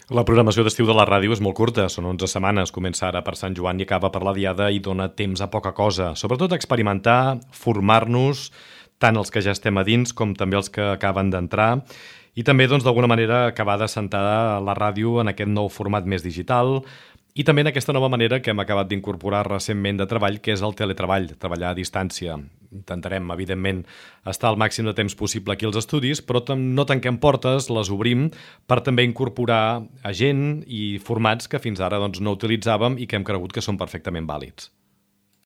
La programació d'estiu de la ràdio és molt curta, són 11 setmanes, comença ara per Sant Joan i acaba per la Diada i dona temps a poca cosa, sobretot a experimentar, formar-nos, tant els que ja estem a dins com també els que acaben d'entrar, i també, doncs, d'alguna manera acabar d'assentar la ràdio en aquest nou format més digital i també en aquesta nova manera que hem acabat d'incorporar recentment de treball, que és el teletreball, treballar a distància. Intentarem, evidentment, estar el màxim de temps possible aquí als estudis, però no tanquem portes, les obrim per també incorporar a gent i formats que fins ara doncs, no utilitzàvem i que hem cregut que són perfectament vàlids.